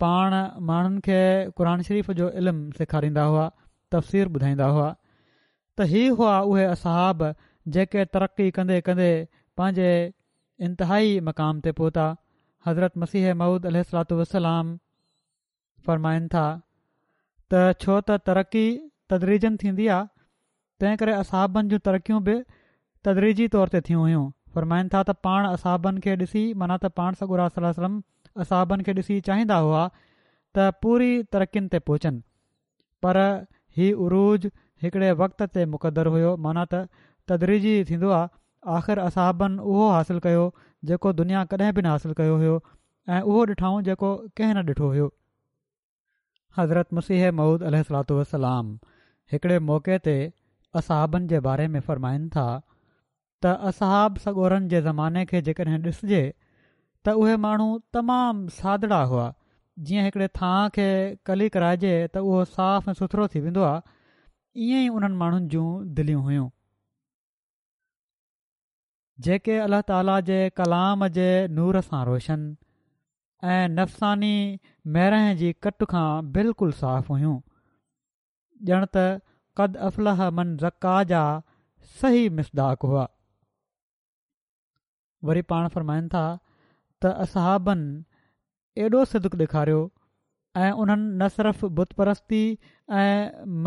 پاڻ ماڻهن کي قرآن شريف جو علم سيکاريندا هئا، تفسير ٻڌائيندا هئا ته هي هئا اهي اصحاب جيڪي ترقي ڪندي ڪندي پنهنجي انتهائي مقام تي پهتا. حضرت مسيح موعود عليه الصلوة والسلام فرمائن ٿا ته ڇو ته ترقي تدريجن ٿيندي آ تنهن ڪري اصحابن جون ترقيون به تدريجي طور تي ٿيون هيون. فرمائن ٿا ته پاڻ اصحابن کي ڏسي معنيٰ ته پاڻ سڳورا صلي الله عليه وسلم اصحابن کي ڏسي چاهيندا هئا ته پوري ترقين تي پهچن پر هي عروج هڪڙي وقت تي مقدر هيو معنيٰ ته تدريجي ٿيندو آ، آخر اصحابن اهو حاصل ڪيو جيڪو دنيا ڪڏهن به نه حاصل ڪيو هيو ۽ اهو ڏٺائون جيڪو ڪنهن نه ڏٺو هيو. حضرت مسيح موعود عليه الصلوة والسلام هڪڙي موقعي تي اصحابن جي باري ۾ فرمائن ٿا ته اصحاب سڳورن جي زماني کي جيڪڏهن ڏسجي ته اهي ماڻهو تمام سادڙا هئا، جيئن هڪڙي ٿانء کي ڪلي ڪرائجي ته اهو صاف ۽ سٿرو ٿي ويندو آهي، ائين ئي انهن ماڻهن جون دليون هيون. جيڪي الله تعاليٰ جي ڪلام جي نور سان روشن ۽ نفساني ميرهن جي ڪٽ کان بلڪل صاف هيون. ڄڻ ته قد افلح من زڪاها جا صحيح مصداق هئا. وري پاڻ فرمائن ٿا ته اصحابن ايڏو صدق ڏيکاريو ۽ انهن نه صرف بت پرستي ۽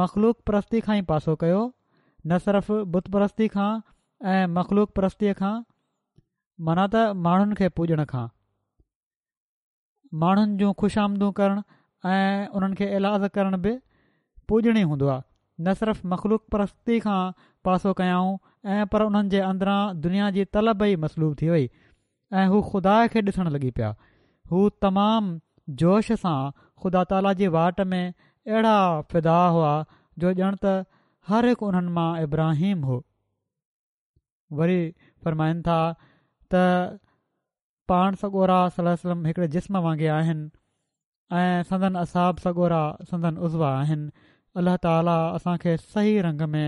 مخلوق پرستي کان ئي پاسو ڪيو نه صرف بت پرستي کان ۽ مخلوق پرستي کان معنيٰ ته ماڻهن کي پوڄڻ کان ماڻهن جون خوشامدون ڪرڻ ۽ انهن کي ايلاز ڪرڻ به پوڄڻ ئي هوندو آهي. نه صرف مخلوق پرستي کان پاسو ڪيائون ۽ پر انهن جي اندران دنيا جي طلب ئي مسلوب ٿي وئي ۽ هو خدا کي ڏسڻ لڳي پيا. هو تمام جوش سان خدا تعاليٰ جي واٽ ۾ اهڙا فدا هئا جو ڄڻ ته هر هڪ انهن مان ابراهيم هو. وري فرمائن ٿا ته پاڻ سڳورا صلي الله عليه وسلم هڪڙي جسم وانگي آهن ۽ سندن اصحاب سڳورا سندن عضوا آهن الله تعالي اسان کي صحيح رنگ ۾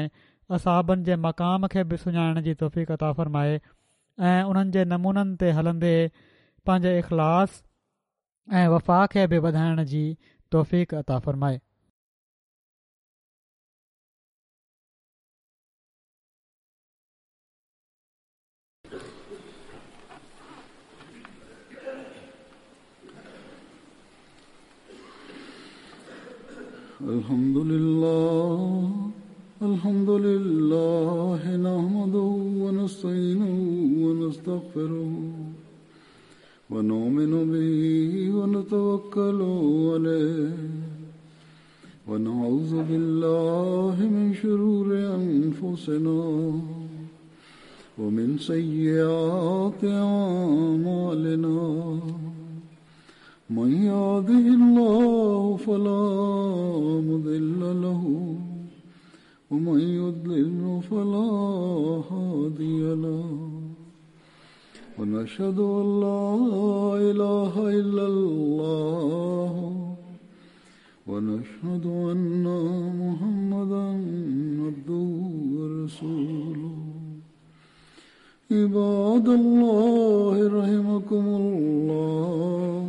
اصحابن جي مقام کي به سڃاڻڻ جي توفيق عطا فرمائي ۽ انهن جي نمونن تي هلندي پنهنجي اخلاص ۽ وفا کي به وڌائڻ جي توفيق عطا فرمائي. الحمد لله الحمد لله نحمده ونستعينه ونستغفره ونؤمن به ونتوكل عليه ونعوذ بالله من شرور أنفسنا ومن سيئات أعمالنا من يهده الله فلا مضل له ومن يضلل فلا هادي له ونشهد أن لا إله إلا الله ونشهد أن محمدا عبده ورسوله عباد الله رحمكم الله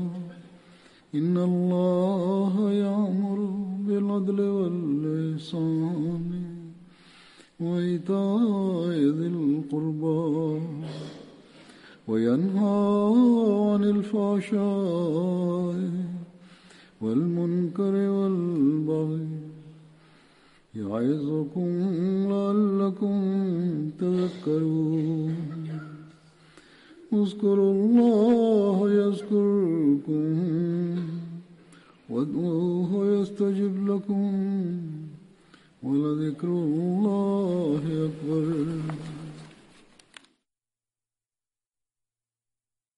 إن الله يأمر بالعدل والإحسان وإيتاء ذي القربى وينهى عن الفحشاء والمنكر والبغي يعظكم لعلكم تذكرون اذكروا الله يذكركم وادعوه يستجب لكم ولذكر الله أكبر.